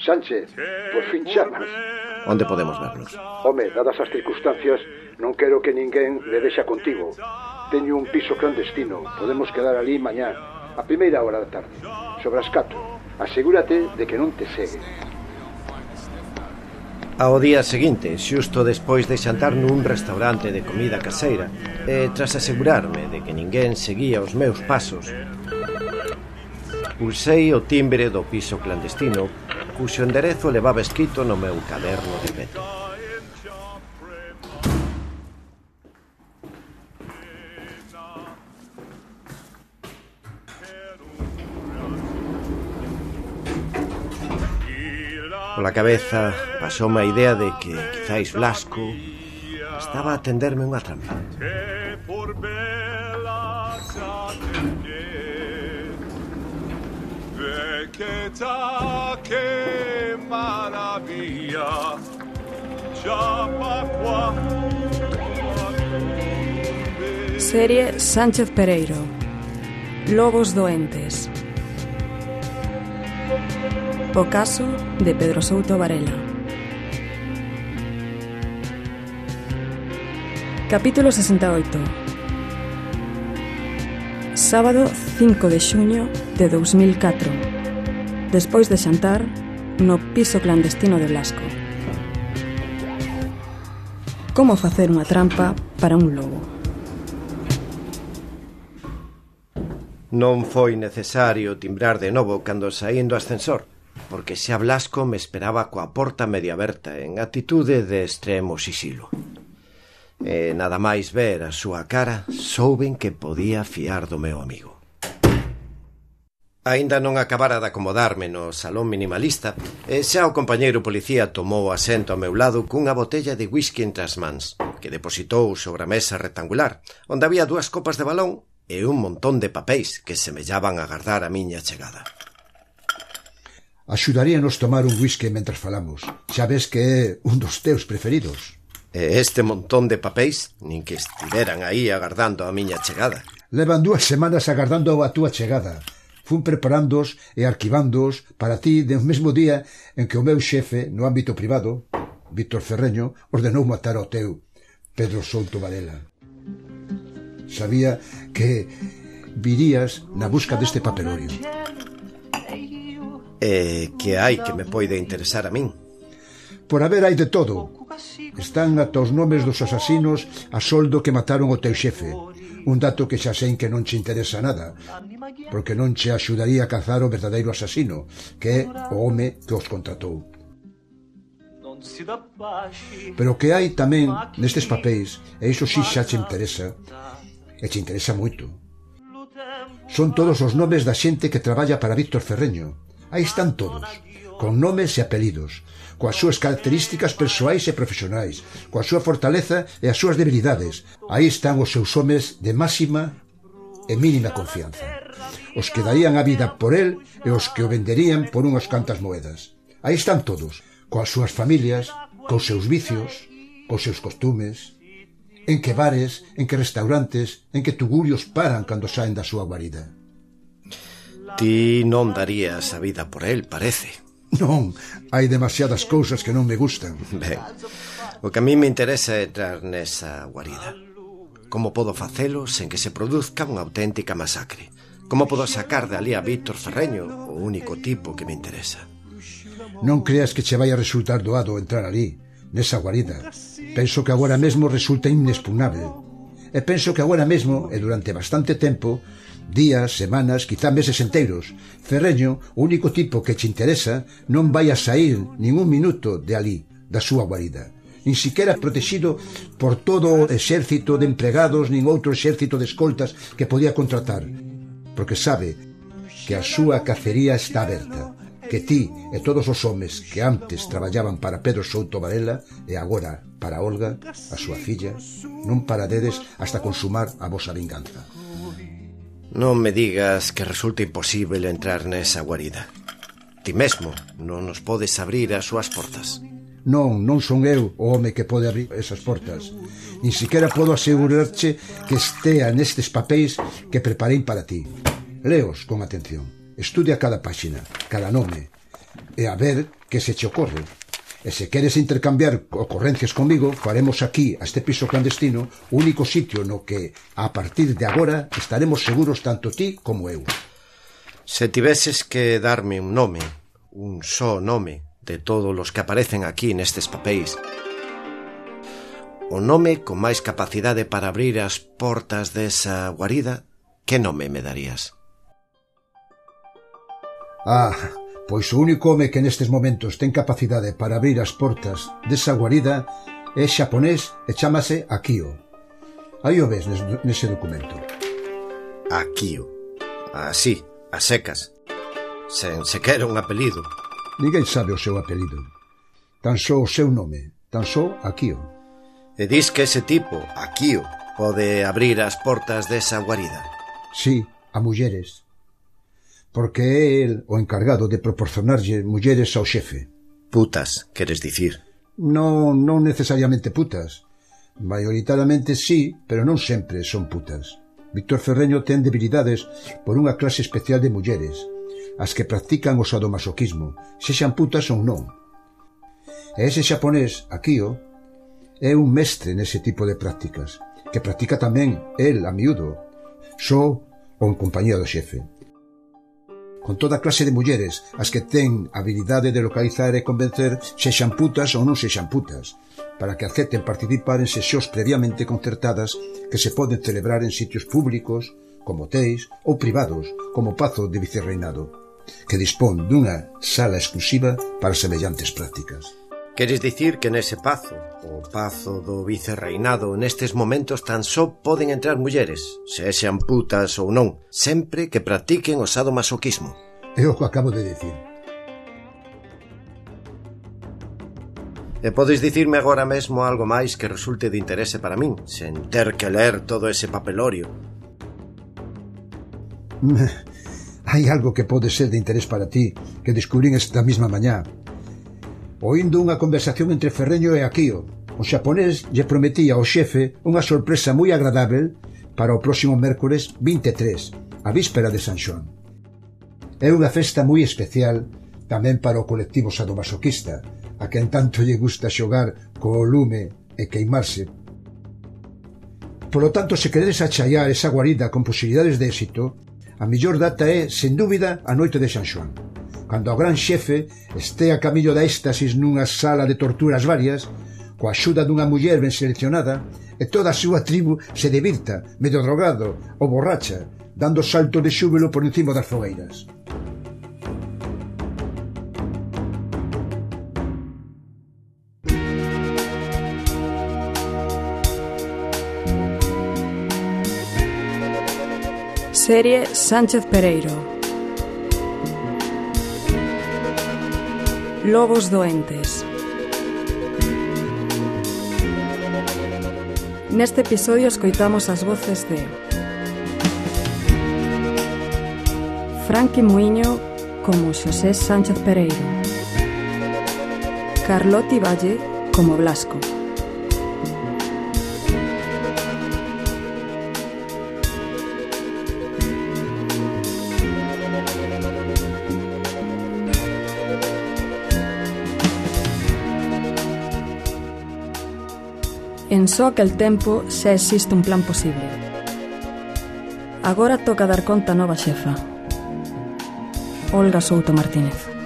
Sánchez, por fin chamas. Onde podemos vernos? Home, dadas as circunstancias, non quero que ninguén le deixa contigo. Teño un piso clandestino. Podemos quedar ali mañá, a primeira hora da tarde, sobre as 4. Asegúrate de que non te segue. Ao día seguinte, xusto despois de xantar nun restaurante de comida caseira, e tras asegurarme de que ninguén seguía os meus pasos, pulsei o timbre do piso clandestino, cuxo enderezo levaba escrito no meu caderno de peto. Pola cabeza pasoume a idea de que quizáis Blasco estaba a tenderme unha trampa. Serie Sánchez Pereiro. Lobos doentes. O caso de Pedro Souto Varela. Capítulo 68. Sábado 5 de xuño de 2004. Despois de xantar no piso clandestino de Blasco. Como facer unha trampa para un lobo. Non foi necesario timbrar de novo cando saín do ascensor, porque xa Blasco me esperaba coa porta medio aberta en actitude de extremo sisilo. E nada máis ver a súa cara, souben que podía fiar do meu amigo. Aínda non acabara de acomodarme no salón minimalista, e xa o compañeiro policía tomou asento ao meu lado cunha botella de whisky entre as mans, que depositou sobre a mesa rectangular, onde había 2 copas de balón e un montón de papéis que semellaban agardar a miña chegada. Axudaríanos tomar un whisky mentras falamos. Xa ves que é un dos teus preferidos. E este montón de papéis nin que estiveran aí agardando a miña chegada. Levan 2 semanas agardando a túa chegada. Fun preparándoos e arquivándoos para ti de un mesmo día en que o meu xefe no ámbito privado, Víctor Ferreño, ordenou matar ao teu Pedro Souto Varela. Sabía que virías na busca deste papelorio. Que hai que me poide interesar a min? Por haber hai de todo. Están ata os nomes dos asasinos a soldo que mataron o teu xefe. Un dato que xa sei que non che interesa nada, porque non che axudaría a cazar o verdadeiro asasino, que é o home que os contratou. Pero que hai tamén nestes papéis, e iso si xa che interesa, e che interesa moito. Son todos os nomes da xente que traballa para Víctor Ferreño. Aí están todos, con nomes e apelidos, coas súas características persoais e profesionais, coa súa fortaleza e as súas debilidades. Aí están os seus homes de máxima e mínima confianza, os que darían a vida por el e os que o venderían por unhas cantas moedas. Aí están todos, coas súas familias, cos seus vicios, cos seus costumes, en que bares, en que restaurantes, en que tugurios paran cando saen da súa guarida. Ti non darías a vida por el, parece. Non, hai demasiadas cousas que non me gustan. Ben, o que a mí me interesa é entrar nesa guarida. Como podo facelo sen que se produzca unha auténtica masacre? Como podo sacar de ali a Víctor Ferreño, o único tipo que me interesa? Non creas que che vai a resultar doado entrar ali, nesa guarida. Penso que agora mesmo resulta inexpugnable. E penso que agora mesmo, e durante bastante tempo, días, semanas, quizá meses enteiros, Ferreño, o único tipo que che interesa, non vai a sair nin un minuto de ali, da súa guarida. Nin siquiera protegido por todo o exército de empregados nin outro exército de escoltas que podía contratar, porque sabe que a súa cacería está aberta, que ti e todos os homes que antes traballaban para Pedro Souto Varela e agora para Olga, a súa filla, non paradedes hasta consumar a vosa vinganza. Non me digas que resulta imposible entrar nesa guarida. Ti mesmo non nos podes abrir as súas portas. Non son eu o home que pode abrir esas portas. Nin siquiera podo asegurarche que estea nestes papéis que preparei para ti. Leos con atención. Estudia cada páxina, cada nome, e a ver que se che ocorre. E se queres intercambiar ocorrencias comigo, faremos aquí, a este piso clandestino, o único sitio no que, a partir de agora, estaremos seguros tanto ti como eu. Se tiveses que darme un nome, un só nome, de todos os que aparecen aquí nestes papéis, o nome con máis capacidade para abrir as portas desa guarida, que nome me darías? Pois o único home que nestes momentos ten capacidade para abrir as portas desa guarida é xaponés e chámase Akio. Aí o ves nese documento. Akio. Así, a secas. Sen sequera un apelido. Ninguén sabe o seu apelido. Tan só o seu nome. Tan só Akio. E dis que ese tipo, Akio, pode abrir as portas desa guarida? Sí, a mulleres. Porque é el o encargado de proporcionarlle mulleres ao xefe. Putas, queres dicir? Non necesariamente putas. Maioritariamente sí, pero non sempre son putas. Víctor Ferreño ten debilidades por unha clase especial de mulleres, as que practican o sadomasoquismo, sexan putas ou non. E ese xaponés, Akio, é un mestre nese tipo de prácticas, que practica tamén el a miúdo, só ou en compañía do xefe. Con toda clase de mulleres, as que ten habilidade de localizar e convencer sexan putas ou non sexan putas, para que acepten participar en sesións previamente concertadas que se poden celebrar en sitios públicos, como hotéis, ou privados, como o Pazo de Vicerreinado, que dispón dunha sala exclusiva para semellantes prácticas. Queres dicir que nese pazo, o Pazo do Vicerreinado, nestes momentos tan só poden entrar mulleres, sexan putas ou non, sempre que practiquen o sadomasoquismo? É o que acabo de decir. E podes dicirme agora mesmo algo máis que resulte de interese para min, sen ter que ler todo ese papelorio? Hai algo que pode ser de interés para ti, que descubrín esta mesma mañá. Oíndo unha conversación entre Ferreño e Akio, o xaponés lle prometía ao xefe unha sorpresa moi agradável para o próximo mércores 23, a víspera de San Xoán. É unha festa moi especial tamén para o colectivo sadomasoquista, a quen tanto lle gusta xogar co lume e queimarse. Polo tanto, se queredes achaiar esa guarida con posibilidades de éxito, a mellor data é, sen dúbida, a noite de San Xoán, cando o gran xefe estea a camiño da éxtasis nunha sala de torturas varias, coa axuda dunha muller ben seleccionada, e toda a súa tribu se divirta, medio drogado ou borracha, dando saltos de xúbilo por encima das fogueiras. Serie Sánchez Pereiro. Lobos doentes. Neste episodio escoitamos as voces de Franqui Muiño como Xosé Sánchez Pereiro, Carloti Valle como Blasco, en só aquel tempo xa existe un plan posible. Agora toca dar conta a nova xefa, Olga Souto Martínez.